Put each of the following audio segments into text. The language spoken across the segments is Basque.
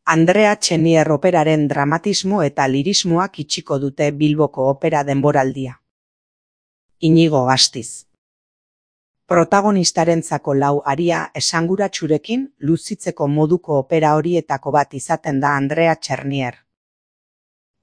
Andrea Txernier operaren dramatismo eta lirismoak itxiko dute Bilboko opera denboraldia. Inigo Astiz. Protagonistarentzako lau aria esanguratsurekin luzitzeko moduko opera horietako bat izaten da Andrea Txernier.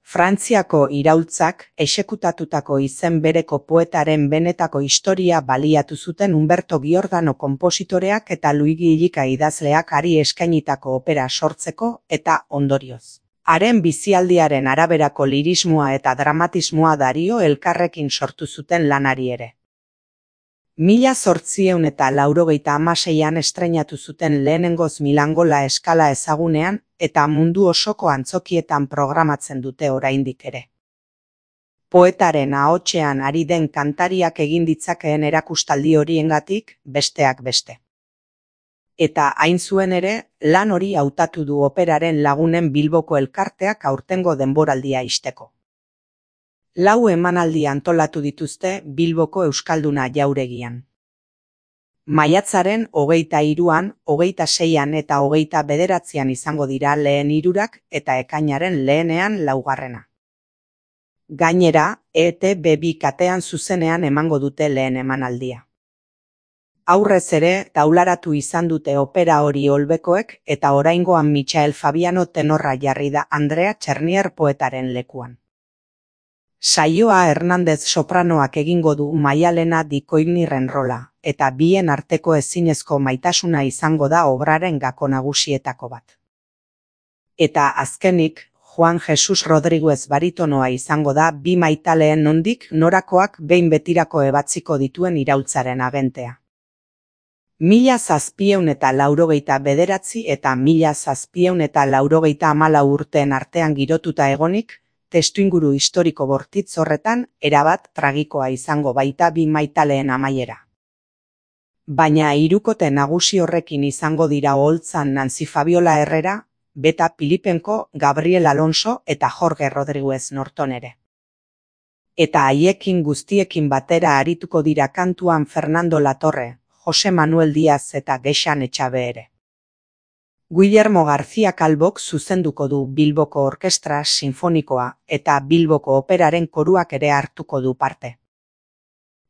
Frantziako iraultzak exekutatutako izen bereko poetaren benetako historia baliatu zuten Humberto Giordano konpositoreak eta Luigi Illica idazleak hari eskainitako opera sortzeko eta ondorioz. Haren bizialdiaren araberako lirismoa eta dramatismoa Dario elkarrekin sortu zuten lanari ere. 1896an estreinatu zuten lehenengoz Milango La Scala ezagunean eta mundu osoko antzokietan programatzen dute oraindik ere. Poetaren ahotsean ari den kantariak egin ditzakeen erakustaldi horiengatik, besteak beste. Eta hain zuen ere, lan hori hautatu du operaren lagunen Bilboko elkarteak aurtengo denboraldia ixteko. 4 emanaldi antolatu dituzte Bilboko Euskalduna jauregian. Maiatzaren 23an, 26an eta 29an izango dira lehen hirurak eta ekainaren lehenean laugarrena. Gainera, ETB2 katean zuzenean emango dute lehen emanaldia. Aurrez ere, taularatu izan dute opera hori Olbekoek eta oraingoan Michael Fabiano tenorra jarri da Andrea Txernier poetaren lekuan. Saioa Hernandez sopranoak egingo du Maialena Di Coignirren rola, eta bien arteko ezinezko maitasuna izango da obraren gako nagusietako bat. Eta azkenik, Juan Jesus Rodriguez baritonoa izango da bi maitaleen nondik norakoak behin betirako ebatziko dituen iraultzaren agentea. 1789 eta 1794 urteen artean girotuta egonik, testuinguru historiko bortitz horretan erabat tragikoa izango baita bi maitaleen amaiera. Baina hirukote nagusi horrekin izango dira oholtzan Nancy Fabiola Herrera, Beta Pilipenko, Gabriel Alonso eta Jorge Rodriguez Norton ere. Eta haiekin guztiekin batera arituko dira kantuan Fernando Latorre, Jose Manuel Diaz eta Gexan Etxabe ere. Guillermo García Calvok zuzenduko du Bilboko Orkestra Sinfonikoa eta Bilboko Operaren koruak ere hartuko du parte.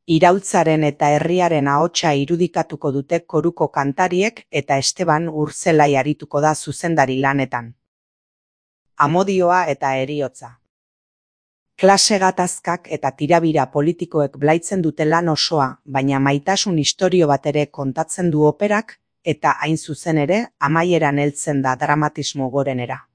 Iraultzaren eta herriaren ahotsa irudikatuko dute koruko kantariek eta Esteban Urzelai arituko da zuzendari lanetan. Amodioa eta heriotza. Klase gatazkak eta tirabira politikoek blaitzen dute lan osoa, baina maitasun istorio bat ere kontatzen du operak, eta hain zuzen ere, amaieran heltzen da dramatismo gorenera.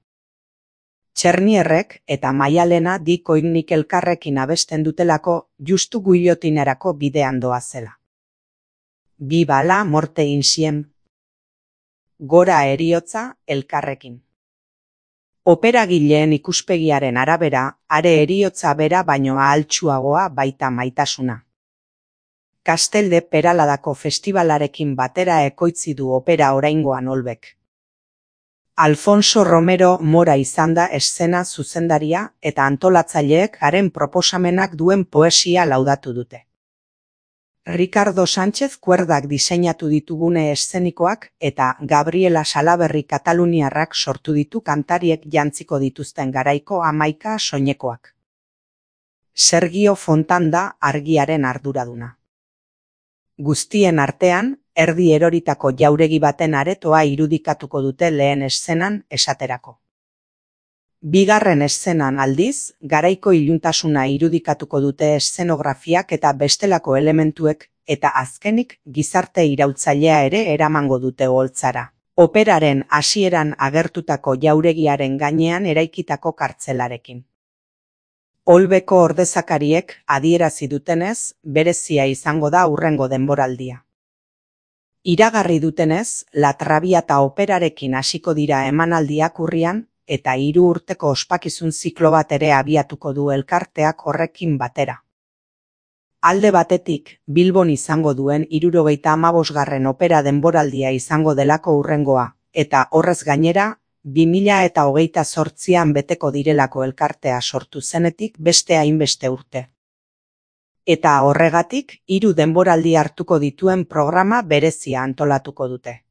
Txernierrek eta Maialena Di Coignik elkarrekin abesten dutelako justu guillotinerako bidean doazela. Viva la morte insiem. Gora heriotza elkarrekin. Operagileen ikuspegiaren arabera, are heriotza bera baino ahaltsuagoa baita maitasuna. Castel de Peraladako festivalarekin batera ekoitzi du opera oraingoan Olbek. Alfonso Romero Mora izan da eszena zuzendaria eta antolatzaileek haren proposamenak duen poesia laudatu dute. Ricardo Sánchez kuerdak diseinatu ditugune eszenikoak eta Gabriela Salaberri kataluniarrak sortu ditu kantariek jantziko dituzten garaiko 11 soinekoak. Sergio Fontan da argiaren arduraduna. Guztien artean, erdi eroritako jauregi baten aretoa irudikatuko dute lehen eszenan esaterako. Bigarren eszenan aldiz, garaiko iluntasuna irudikatuko dute eszenografiak eta bestelako elementuek, eta azkenik gizarte iraultzailea ere eramango dute oholtzara. Operaren hasieran agertutako jauregiaren gainean eraikitako kartzelarekin. Olbeko ordezakariek adierazi dutenez, berezia izango da hurrengo denboraldia. Iragarri dutenez, La Traviata operarekin hasiko dira emanaldiak urrian, eta 3 urteko ospakizun ziklo bat ere abiatuko du elkarteak horrekin batera. Alde batetik, Bilbon izango duen 75. opera denboraldia izango delako hurrengoa, eta horrez gainera, 2028an beteko direlako elkartea sortu zenetik beste hainbeste urte. Eta horregatik, 3 denboraldi hartuko dituen programa berezia antolatuko dute.